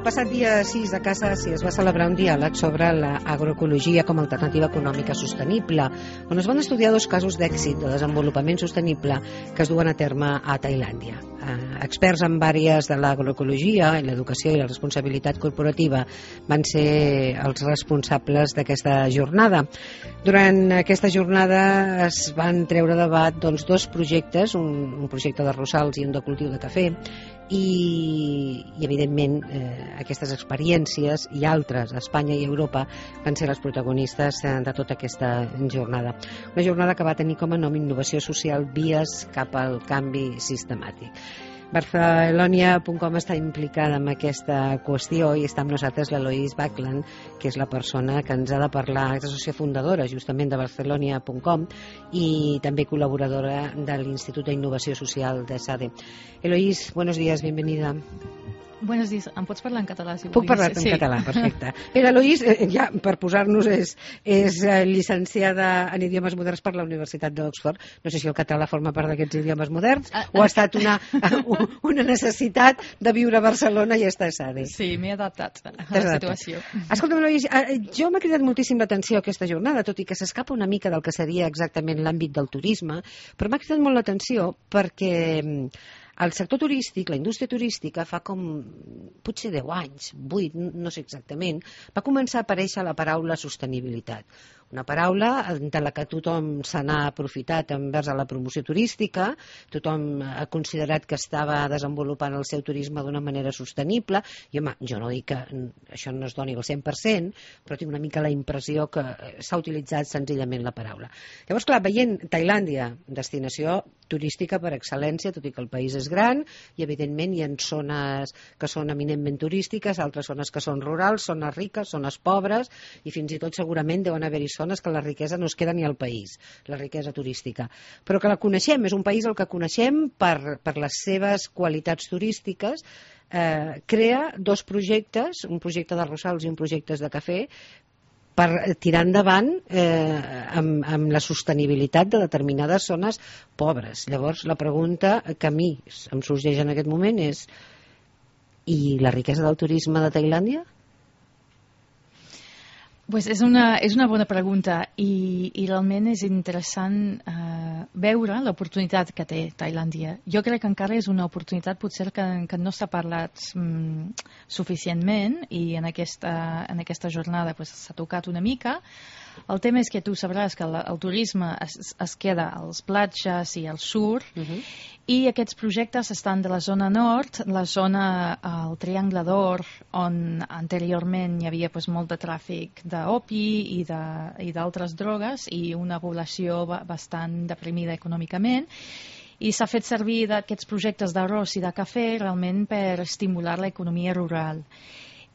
passat dia 6 a Casa Àsia es va celebrar un diàleg sobre l'agroecologia com a alternativa econòmica sostenible, on es van estudiar dos casos d'èxit de desenvolupament sostenible que es duen a terme a Tailàndia. Experts en àrees de l'agroecologia, l'educació i la responsabilitat corporativa van ser els responsables d'aquesta jornada. Durant aquesta jornada es van treure a debat dos projectes, un projecte de rosals i un de cultiu de cafè, i evidentment aquestes experiències i altres a Espanya i a Europa van ser les protagonistes de tota aquesta jornada. Una jornada que va tenir com a nom Innovació Social, vies cap al canvi sistemàtic. Barcelonia.com està implicada en aquesta qüestió i està amb nosaltres l'Eloís Baclan, que és la persona que ens ha de parlar, és la socia fundadora justament de Barcelonia.com i també col·laboradora de l'Institut d'Innovació Social de SADE. Eloís, buenos días, bienvenida. Buenos días. Em pots parlar en català, si Puc parlar en català, perfecte. L'Eloís, ja per posar-nos, és llicenciada en idiomes moderns per la Universitat d'Oxford. No sé si el català forma part d'aquests idiomes moderns o ha estat una necessitat de viure a Barcelona i estar a SADE. Sí, m'he adaptat a la situació. Escolta'm, Eloís, jo m'ha cridat moltíssim l'atenció aquesta jornada, tot i que s'escapa una mica del que seria exactament l'àmbit del turisme, però m'ha cridat molt l'atenció perquè el sector turístic, la indústria turística, fa com potser 10 anys, 8, no sé exactament, va començar a aparèixer la paraula sostenibilitat. Una paraula de la que tothom se n'ha aprofitat envers a la promoció turística, tothom ha considerat que estava desenvolupant el seu turisme d'una manera sostenible, i home, jo no dic que això no es doni al 100%, però tinc una mica la impressió que s'ha utilitzat senzillament la paraula. Llavors, clar, veient Tailàndia, destinació turística per excel·lència, tot i que el país és gran, i evidentment hi ha zones que són eminentment turístiques, altres zones que són rurals, zones riques, zones pobres, i fins i tot segurament deuen haver-hi zones que la riquesa no es queda ni al país, la riquesa turística. Però que la coneixem, és un país el que coneixem per les seves qualitats turístiques, crea dos projectes, un projecte de rosals i un projecte de cafè, per tirar endavant amb la sostenibilitat de determinades zones pobres. Llavors, la pregunta que a mi em sorgeix en aquest moment és: i la riquesa del turisme de Tailàndia? Pues és una bona pregunta i realment és interessant veure l'oportunitat que té Tailàndia. Jo crec que encara és una oportunitat potser que no s'ha parlat suficientment i en aquesta jornada s'ha tocat una mica. El tema és que tu sabràs que el turisme es queda als platges i al sud, i aquests projectes estan de la zona nord, la zona, el Triangle d'Or, on anteriorment hi havia molt de tràfic d'opi i d'altres drogues i una població bastant deprimida econòmicament, i s'ha fet servir d'aquests projectes d'arròs i de cafè realment per estimular l'economia rural.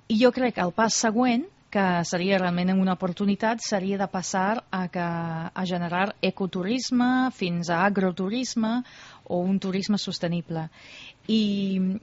I jo crec que el pas següent, que seria realment una oportunitat, seria de passar a generar ecoturisme fins a agroturisme o un turisme sostenible. I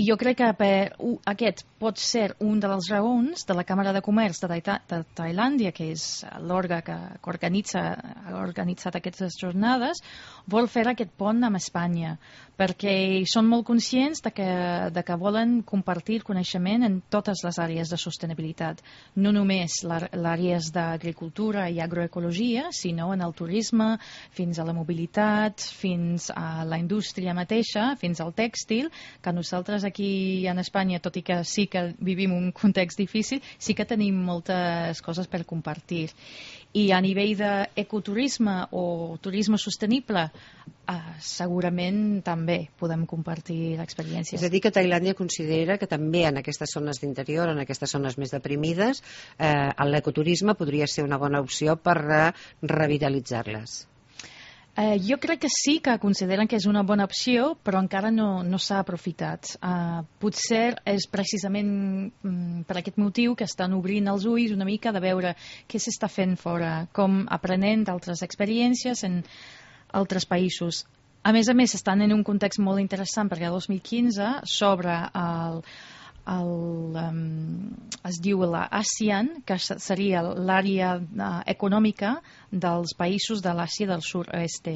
jo crec que aquest pot ser un de les raons de la Càmera de Comerç de Tailàndia, que és l'òrgan que ha organitzat aquestes jornades, vol fer aquest pont amb Espanya, perquè són molt conscients de que volen compartir coneixement en totes les àrees de sostenibilitat, no només les àrees d'agricultura i agroecologia, sinó en el turisme, fins a la mobilitat, fins a la indústria mateixa, fins al tèxtil, que nosaltres aquí en Espanya, tot i que sí que vivim un context difícil, sí que tenim moltes coses per compartir. I a nivell d'ecoturisme o turisme sostenible, segurament també podem compartir l'experiència. És a dir, que Tailàndia considera que també en aquestes zones d'interior, en aquestes zones més deprimides, l'ecoturisme podria ser una bona opció per revitalitzar-les. Jo crec que sí que consideren que és una bona opció, però encara no s'ha aprofitat. Potser és precisament per aquest motiu que estan obrint els ulls una mica de veure què s'està fent fora, com aprenent d'altres experiències en altres països. A més, estan en un context molt interessant perquè el 2015 s'obre es diu l'ASEAN, que seria l'àrea econòmica dels països de l'Àsia del sud-est.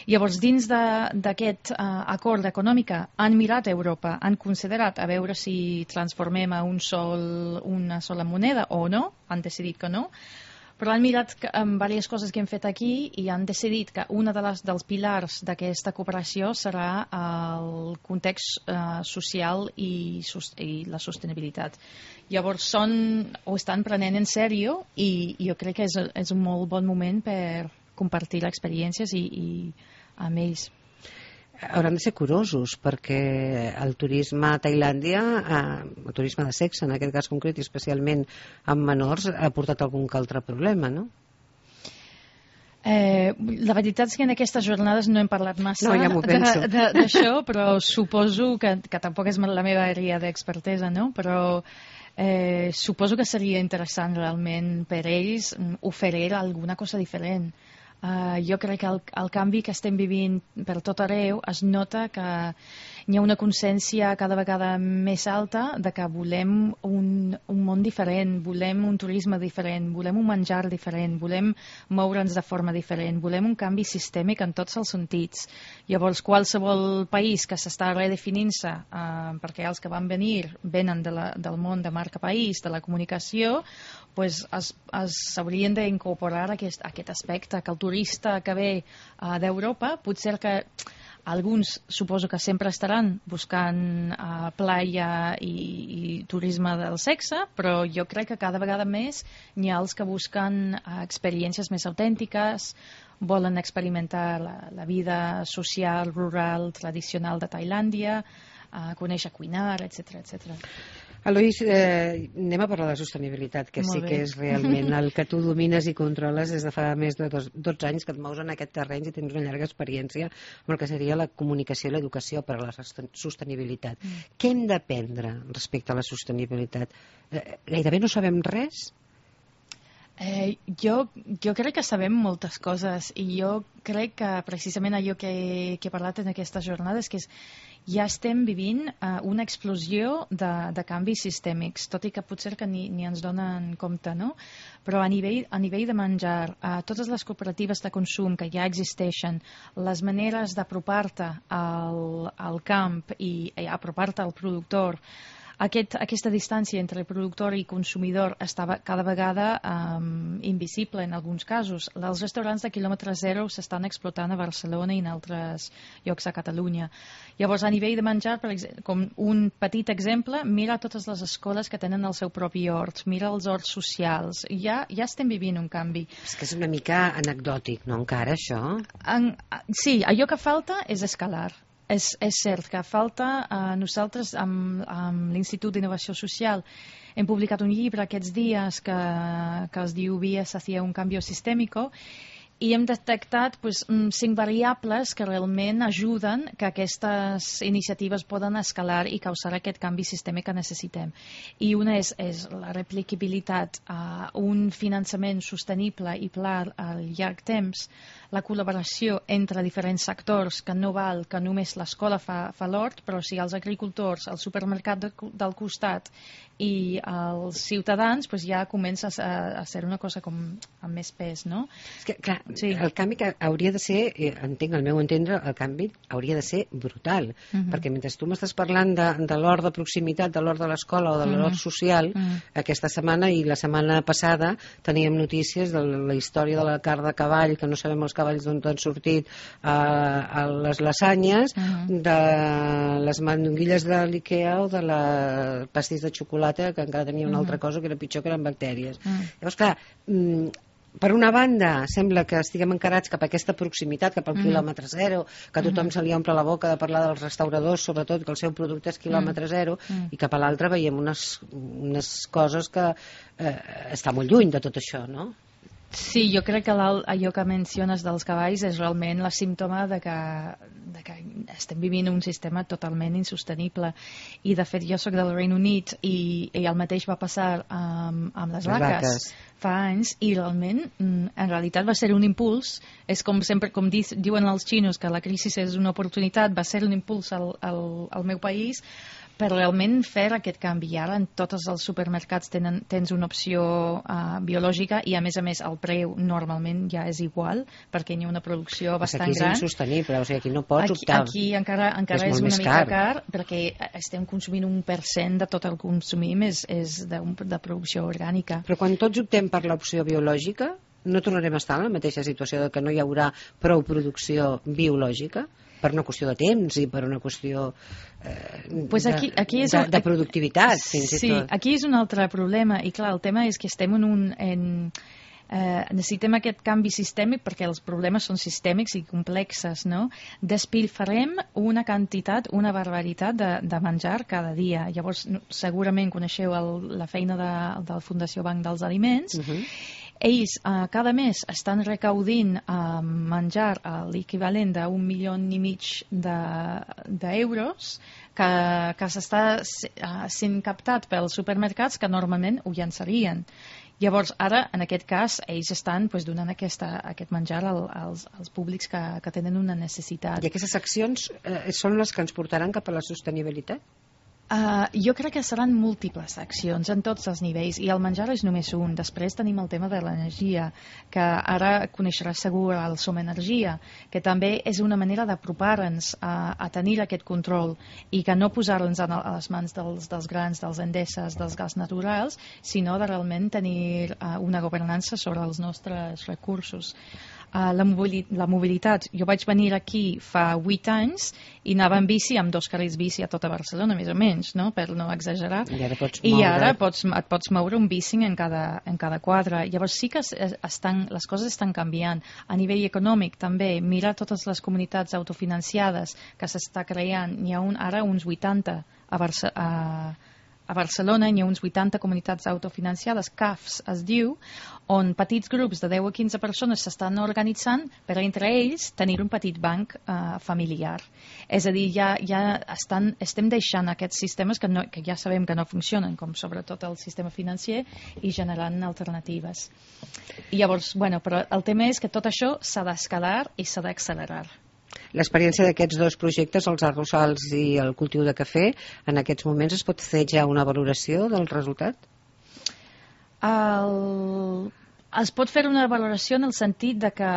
Llavors, dins d'aquest acord econòmic han mirat a Europa, han considerat a veure si transformem a una sola moneda o no, han decidit que no, però han mirat en diverses coses que hem fet aquí i han decidit que un dels pilars d'aquesta cooperació serà el context social i la sostenibilitat. Llavors ho estan prenent en sèrio i jo crec que és un molt bon moment per compartir experiències i amb ells. Hauran de ser curosos perquè el turisme a Tailàndia, el turisme de sexe en aquest cas concret i especialment amb menors, ha portat algun que altre problema, no? La veritat és que en aquestes jornades no hem parlat massa ja d'això, però suposo que tampoc és la meva àrea d'expertesa, no? Però suposo que seria interessant realment per ells oferir alguna cosa diferent. Jo crec que el canvi que estem vivint per tot arreu es nota que hi ha una consciència cada vegada més alta de que volem un món diferent, volem un turisme diferent, volem un menjar diferent, volem moure'ns de forma diferent, volem un canvi sistèmic en tots els sentits. Llavors, qualsevol país que s'està redefinint-se, perquè els que van venir venen del món de marca país, de la comunicació, pues s'haurien d'incorporar aquest aspecte, que el turista que ve d'Europa, potser que alguns suposo que sempre estaran buscant playa i turisme del sexe, però jo crec que cada vegada més n'hi ha els que busquen experiències més autèntiques, volen experimentar la vida social, rural, tradicional de Tailàndia, conèixer cuinar, etc etc. Eloís, anem a parlar de sostenibilitat, que sí que és realment el que tu domines i controles des de fa més de 12 anys que et mous en aquest terreny i tens una llarga experiència amb el que seria la comunicació i l'educació per a la sostenibilitat. Què hem d'aprendre respecte a la sostenibilitat? Gairebé no sabem res? Jo crec que sabem moltes coses i jo crec que precisament allò que he parlat en aquestes jornades que ja estem vivint una explosió de canvis sistèmics, tot i que potser que ni ens donen compte, no? Però a nivell de menjar, totes les cooperatives de consum que ja existeixen, les maneres d'apropar-te al camp i apropar-te al productor, aquesta distància entre productor i consumidor estava cada vegada invisible en alguns casos. Els restaurants de quilòmetre zero s'estan explotant a Barcelona i en altres llocs a Catalunya. Llavors, a nivell de menjar, per exemple, com un petit exemple, mira totes les escoles que tenen el seu propi hort, mira els horts socials. Ja estem vivint un canvi. És que és una mica anecdòtic, no, encara, això? Sí, allò que falta és escalar. És cert que falta, nosaltres amb l'Institut d'Innovació Social hem publicat un llibre aquests dies que es diu Vías hacia un cambio sistémico i hem detectat 5 variables que realment ajuden que aquestes iniciatives poden escalar i causar aquest canvi sistèmic que necessitem. I una és la replicabilitat, un finançament sostenible i pla al llarg temps, la col·laboració entre diferents sectors, que no val que només l'escola fa l'hort, però si els agricultors, el supermercat del costat i els ciutadans ja comença a ser una cosa com amb més pes, no? És que, clar, sí. El canvi que hauria de ser, entenc, al meu entendre, el canvi hauria de ser brutal, perquè mentre tu m'estàs parlant de l'hort de proximitat, de l'hort de l'escola o de l'hort social, aquesta setmana i la setmana passada teníem notícies de la història de la carn de cavall, que no sabem els cavalls d'on han sortit, a les lasanyes, de les mandonguilles de l'Ikea o de la pastís de xocolata, que encara tenia una altra cosa que era pitjor, que eren bactèries. Llavors, clar, per una banda sembla que estiguem encarats cap a aquesta proximitat, cap al quilòmetre zero, que a tothom se li omple la boca de parlar dels restauradors, sobretot que el seu producte és quilòmetre zero, i cap a l'altra veiem unes coses que està molt lluny de tot això, no? Sí, jo crec que allò que menciones dels cavalls és realment la símptoma de que estem vivint un sistema totalment insostenible. I, de fet, jo sóc del Regne Unit i el mateix va passar amb les vaques fa anys, i realment, en realitat, va ser un impuls. És com sempre, com diuen els xinos, que la crisi és una oportunitat, va ser un impuls al meu país per realment fer aquest canvi. I ara en tots els supermercats tens una opció biològica, i a més el preu normalment ja és igual, perquè hi ha una producció bastant gran. Aquí és insostenible, o sigui, aquí no pots optar. Aquí encara és una mica car, perquè estem consumint 1% de tot el que consumim és de producció orgànica. Però quan tots optem per l'opció biològica, no tornarem a estar en la mateixa situació de que no hi haurà prou producció biològica? Per una qüestió de temps i per una qüestió de productivitat, fins i tot. Sí, aquí és un altre problema, i clar, el tema és que estem necessitem aquest canvi sistèmic perquè els problemes són sistèmics i complexes, no? Despilfarrem una quantitat, una barbaritat de menjar cada dia. Llavors, segurament coneixeu la feina de la Fundació Banc dels Aliments. Ells cada mes estan recaudint menjar l'equivalent d'1,5 milió d'euros que s'està sent captat pels supermercats que normalment ho llançarien. Llavors, ara, en aquest cas, ells estan donant aquest menjar als públics que tenen una necessitat. I aquestes accions són les que ens portaran cap a la sostenibilitat? Jo crec que seran múltiples accions en tots els nivells, i el menjar és només un. Després tenim el tema de l'energia, que ara coneixeràs segur el Som Energia, que també és una manera d'apropar-nos a tenir aquest control i que no posar-nos a les mans dels grans, dels Endeses, dels gas naturals, sinó de realment tenir una governança sobre els nostres recursos. La mobilitat. Jo vaig venir aquí fa 8 anys i anava en bici amb 2 carrils bici a tota Barcelona, més o menys, no? Per no exagerar. I ara et pots moure un bici en cada quadra. Llavors sí que les coses estan canviant. A nivell econòmic també, mira totes les comunitats autofinanciades que s'està creant. N'hi ha ara uns 80 a Barcelona, hi ha uns 80 comunitats autofinanciades, CAFs es diu, on petits grups de 10 a 15 persones s'estan organitzant per entre ells tenir un petit banc familiar. És a dir, ja estem deixant aquests sistemes que ja sabem que no funcionen, com sobretot el sistema financer, i generant alternatives. I llavors, però el tema és que tot això s'ha d'escalar i s'ha d'accelerar. L'experiència d'aquests dos projectes, els arrossals i el cultiu de cafè, en aquests moments es pot fer ja una valoració del resultat? Es pot fer una valoració en el sentit de que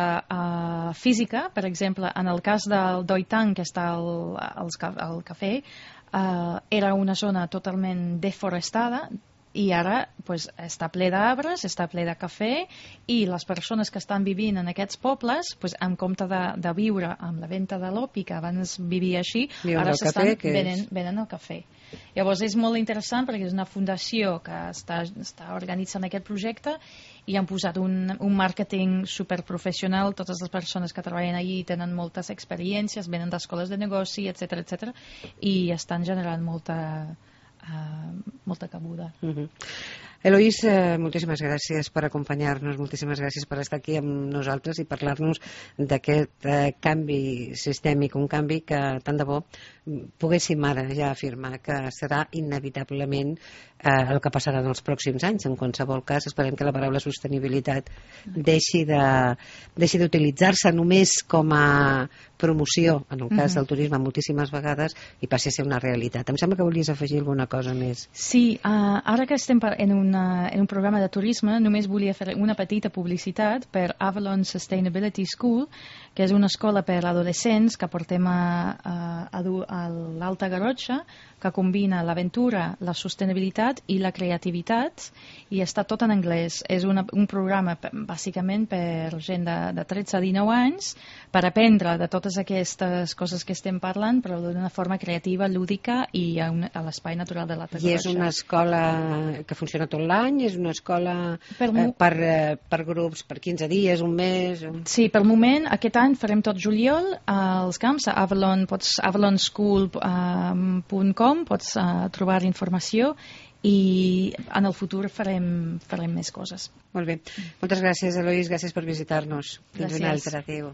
física, per exemple, en el cas del Doi Tang, que està al cafè, era una zona totalment deforestada, i ara està ple d'arbres, està ple de cafè, i les persones que estan vivint en aquests pobles, en compte de viure amb la venda de l'opi, que abans vivia així, ara s'estan venent el cafè. Llavors és molt interessant perquè és una fundació que està organitzant aquest projecte i han posat un màrqueting superprofessional. Totes les persones que treballen allí tenen moltes experiències, venen d'escoles de negoci, etc, i estan generant molta cabuda. Eloís, moltíssimes gràcies per acompanyar-nos, moltíssimes gràcies per estar aquí amb nosaltres i parlar-nos d'aquest canvi sistèmic, un canvi que tant de bo poguéssim ara ja afirmar que serà inevitablement el que passarà en els pròxims anys. En qualsevol cas, esperem que la paraula sostenibilitat deixi d'utilitzar-se només com a promoció, en el cas del turisme moltíssimes vegades, i passi a ser una realitat. Em sembla que volies afegir alguna cosa més. Sí, ara que estem en un programa de turisme, només volia fer una petita publicitat per Avalon Sustainability School, que és una escola per adolescents que portem a l'Alta Garrotxa, que combina l'aventura, la sostenibilitat i la creativitat, i està tot en anglès. És un programa bàsicament per gent de 13 a 19 anys per aprendre de totes aquestes coses que estem parlant, però d'una forma creativa, lúdica i a l'espai natural de l'Alta Garrotxa. I és una escola que funciona tot l'any? És una escola per grups, per 15 dies, un mes? Sí, per moment, aquest any farem tot juliol als camps, a avalonschool.com pots trobar informació, i en el futur farem més coses. Molt bé. Moltes gràcies, Eloís, gràcies per visitar-nos. Fins una altra. Adéu.